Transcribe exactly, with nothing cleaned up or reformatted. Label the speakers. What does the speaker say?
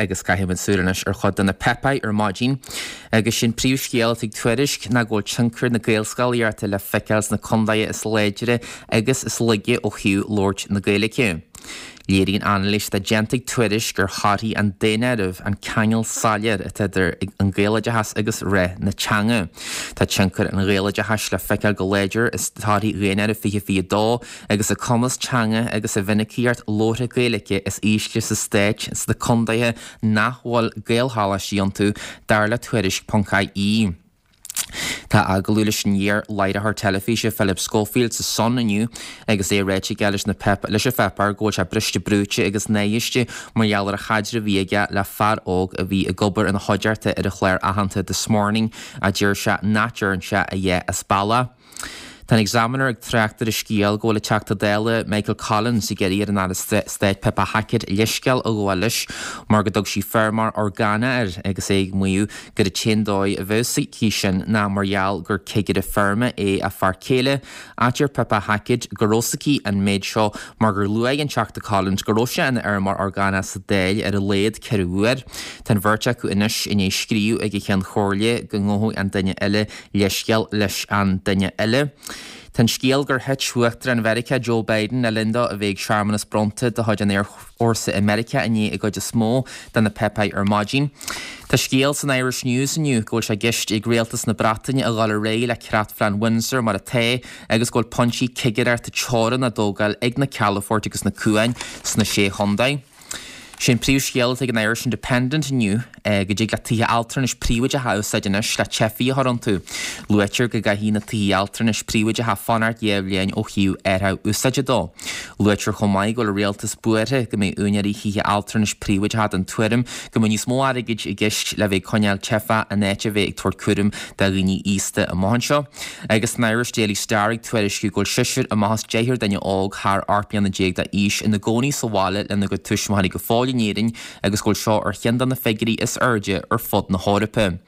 Speaker 1: Agus caithfimid súil anois ar chuid de na páipéir ar maidin, agus sin príomhscéal atá ag Tuairisc ná go bhfuil tionchar na Gaelscolaíochta le feiceáil sna contaetha is láidre agus is laige ó thaobh labhairt na Gaeilge. Léiríonn anailís atá déanta ag Tuairisc ar thorthaí an daonáirimh an ceangal soiléir atá idir an Gaeloideachas agus rath na teanga. Tá tionchar an Ghaeloideachais le feiceáil go láidir i dtorthaí dhaonáireamh fiche fiche dó agus an cumas teanga agus an mhinicíocht labhartha Gaeilge is ísle sa stát sna contaetha nach bhfuil Gaelcholáistí iontu, dar le Tuairisc ponc ie. Tá agallamh leis an iar-láithreoir teilifíse Philip Schofield sa Sun inniu agus é ráite aige leis na leis an pháipéar go bhfuil sé briste brúite agus náiste mar gheall ar an chaidreamh a bhí aige le fear óg a bhí ag obair ina chuideachta ar an chlár aitheanta This Morning a deir sé nach dtearn sé a dhath as bealach. Tá an Examiner ag trácht ar an scéal go bhfuil an Teachta Dála Michael Collins ag iarraidh ar an Aire Stáit Pippa Hackett leithscéal a ghabháil leis mar go dtug sí feirmeoir orgánach air agus é ag maíomh gur an t-aon dóigh a bheadh aici sin ná mar gheall gur cigire feirme é a fear céile. Ach deir Pippa Hackett go raibh a fhios aici an méid seo mar gur luaigh an Teachta Collins go raibh sé ina fheirmeoir orgánach sa Dáil ar a laghad ceithre huair. Tá an bheirt acu anois i ndiaidh scríobh ag an Cheann Comhairle go ngabhfadh an duine eile leithscéal leis an duine eile. Tá an scéal gur thit Uachtarán Mheiriceá Joe Biden le linn dó a bheith ag searmanas bronnta de chuid an Aerfhórsa i Meiriceá inné i gcuid is mó de na páipéir ar maidin. Tá scéal san Irish News inniu go bhfuil sé i gceist ag rialtas na Breataine a dhul ar aghaidh le creatphlean Windsor mar atá agus go bhfuil pointí cigireachta teorann á dtógáil ag na calafoirt agus na cuain sna sé chontae. Sin príomhscéal atá ag an Irish Independent inniu go dtig le tithe altranais príobháideacha a úsáid anois le teifigh a chur iontu. Luaitear go gcaithfidh na tithe altranais príobháideacha fanacht dhá bhliain ó thaobh árthach úsáide dó. Luaitear chomh maith go bhfuil an rialtas buartha go mbeidh úinéirí thithe altranais príobháideacha den tuairim go mbeidh níos mó airgid i gceist le bheith ag coinneáil teifeach in áit a bheith ag tabhairt cúram do dhaoine aosta amach anseo. Agus an Irish Daily Star ag tuairisciú go bhfuil seisear amach as deichniúr duine óg thar ocht mbliana déag d'aois ina gcónaí sa bhaile lena gcuid tuismitheoirí go fóill in Éirinn agus go bhfuil seo ar cheann de na figiúirí is airde ar fud na hEorpa.